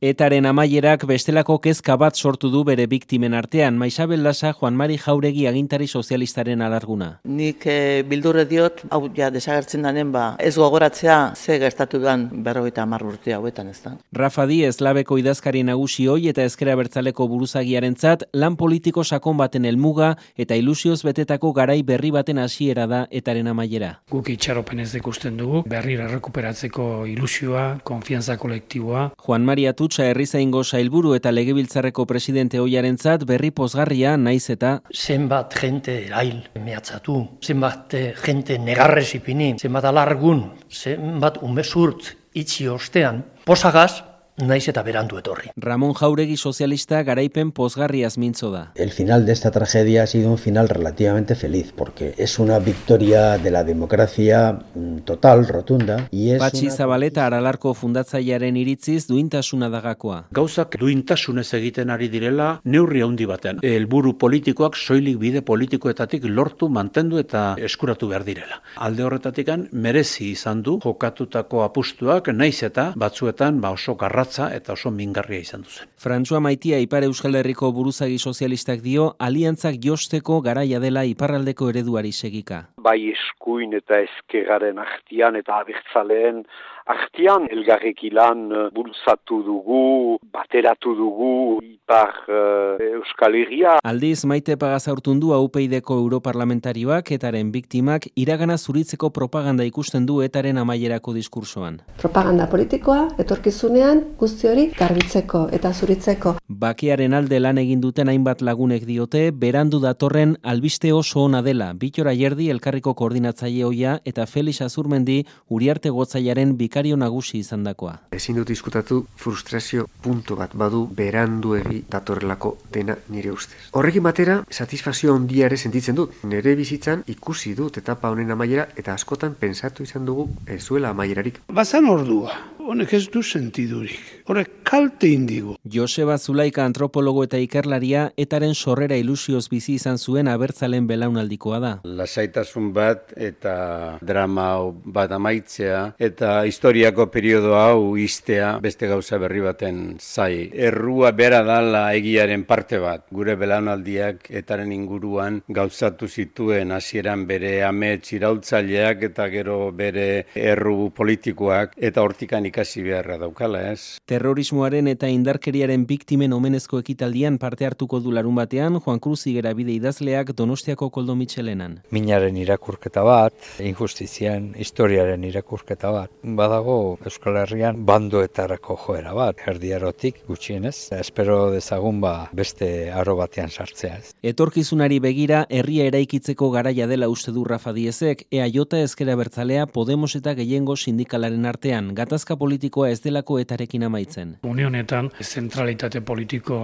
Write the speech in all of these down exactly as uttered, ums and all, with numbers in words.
Etaren amaierak bestelako kezka bat sortu du bere biktimen artean. Maisabel Lasa, Juan Mari Jauregi agintari sozialistaren alarguna. Nik e, bildurre diot, hau ja desagertzen danen ba, ez gogoratzea ze gertatu dan berrogeita hamar urte hauetan ez da. Rafa Diez, labeko idazkari nagusi hoi eta ezker abertzaleko buruzagiarentzat lan politiko sakon baten helmuga eta ilusioz betetako garai berri baten hasiera da etaren amaiera. Guk itxaropenez ikusten dugu, berriro errekuperatzeko ilusioa, konfiantza kolektiboa. Juan Mari Atutxa herrizaingo sailburu eta legebiltzarreko presidente ohiarentzat berri pozgarria naiz eta zenbat jente erail mehatzatu, zenbat jente negarrez ipini, zenbat alargun, zenbat umezurtz itxi ostean, posagaz, naiz eta berandu etorri. Ramon Jauregi sozialista garaipen pozgarriaz mintzo da. El final de esta tragedia ha sido un final relativamente feliz, porque es una victoria de la democracia total, rotunda. Y es Patxi una... Zabaleta Aralarko fundatzailearen iritziz duintasuna dagakoa. Gauzak duintasunez egiten ari direla neurri handi batean. Helburu politikoak soilik bide politikoetatik lortu, mantendu eta eskuratu behar direla. Alde horretatikan merezi izan du jokatutako apustuak, naiz eta batzuetan ba oso garra eta oso mingarria izan duzen. Frantzua Maitia Ipar Euskal Herriko buruzagi sozialistak dio aliantzak josteko garaia dela iparraldeko ereduari segika. Bai eskuin eta ezkerraren artean eta abertzaleen artean elgarrekilan bultzatu dugu, bateratu dugu ipar uh, Euskal Herria. Aldiz Maite Pagazaurtundu U P Idko europarlamentarioak etaren biktimak iragana zuritzeko propaganda ikusten du etaren amaierako diskursoan. Propaganda politikoa etorkizunean guzti hori garbitzeko eta zuritzeko. Bakearen alde lan egin duten hainbat lagunek diote berandu datorren albiste oso ona dela. Bitor Ayerdi elkarriko koordinatzaile ohia eta Felix Azurmendi Uriarte Gotzaiaren bikario nagusi izandakoa. Ezin dut diskutatu frustrazio puntu bat badu beranduegi datorrelako dena nire ustez. Horrekin batera, satisfazio handia ere sentitzen dut. Nire bizitzan ikusi dut etapa honen amaiera eta askotan pensatu izan dugu ez zuela amaierarik. Bazan ordua, honek ez du sentidurik. Horrek kalte indigu. Joseba Zulaika antropologo eta ikerlaria etaren sorrera ilusioz bizi izan zuen abertzalen belaunaldikoa da. Lasaitasun bat eta drama bat amaitzea eta historiako periodo hau iztea beste gauza berri baten zai. Errua bera dala egiaren parte bat. Gure belaunaldiak etaren inguruan gauzatu zituen hasieran bere amets iraultzaileak eta gero bere erru politikoak eta hortikan ikasi beharra daukala, ez? Terrorismoaren eta indarkeriaren biktimen omenezko ekitaldian parte hartuko du larun batean Juan Cruz Higuera bide idazleak Donostiako Koldo Mitxelenan. Minaren irakurketa bat, injustizian, historiaren irakurketa bat. Badago Euskal Herrian bandoetarako joera bat, erdiarotik gutxienez. Espero dezagun ba beste aro batean sartzea. Ez. Etorkizunari begira herria eraikitzeko garaia dela uste du Rafa Diezek, E A J ezker abertzalea Podemos eta gehiengo sindikalaren artean. Gatazka politikoa ez delako etarekin amaitzen. Unionetan zentralitate politiko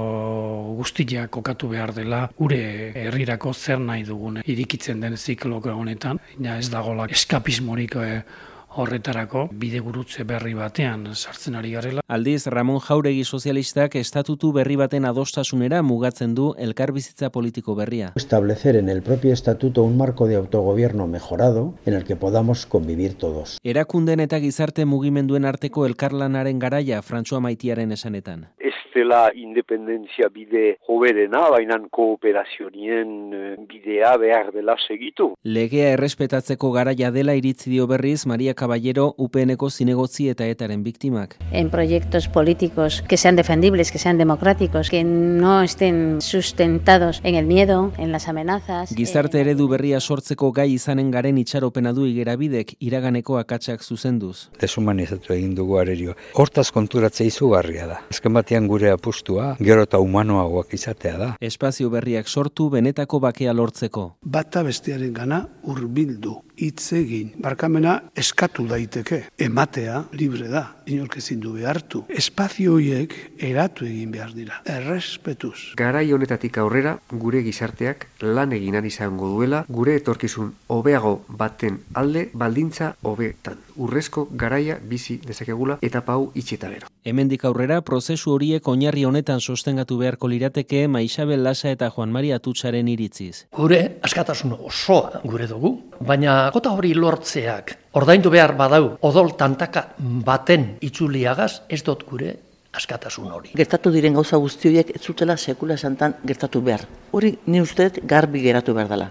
guztia kokatu behar dela gure herrirako zer nahi dugune irikitzen den zikloko honetan. Ja ez dagoela eskapismorik horretarako bide gurutze berri batean sartzen ari garela. Aldiz, Ramon Jauregi sozialistak estatutu berri baten adostasunera mugatzen du elkarbizitza politiko berria. Establecer en el propio estatuto un marco de autogobierno mejorado en el que podamos convivir todos. Erakunden eta gizarte mugimenduen arteko elkarlanaren garaia Frantzua Maitiaren esanetan. Ez dela independentzia bide hoberena, bainan kooperazionien bidea behar dela segitu. Legea errespetatzeko garaia dela iritzi dio berriz Maria Caballero U P Nko zinegotzi eta etaren biktimak. En proyectos políticos que sean defendibles, que sean democráticos, que no estén sustentados en el miedo, en las amenazas. Gizarte eredu berria sortzeko gai izanen garen itxaropena du Igerabidek iraganeko akatsak zuzenduz. Deshumanizatu egin dugu arerio. Hortaz konturatzea izugarria da. Azken batean gure apustua, gero eta humanoagoak izatea da. Espazio berriak sortu benetako bakea lortzeko. Bata bestearen gana hurbildu, hitz egin, barkamena eskatu daiteke, ematea libre da, inork ezin du behartu. Espazio horiek eratu egin behar dira, errespetuz. Garai honetatik aurrera, gure gizarteak lan eginan izango duela, gure etorkizun hobeago baten alde baldintza hobetan. Urrezko garaia bizi dezakegula eta pau itxeta gero. Hemendik aurrera, prozesu horiek oinarri honetan sostengatu beharko lirateke Maisabel Lasa eta Juan Mari Atutxaren iritziz. Gure askatasun osoa gure dugu, baina kota hori lortzeak ordaindu behar badau odol tantaka baten itzuliagaz ez dut gure askatasun hori. Gertatu diren gauza guzti horiek ez zutela sekula santan gertatu behar. Hori ni uste garbi geratu behar dela.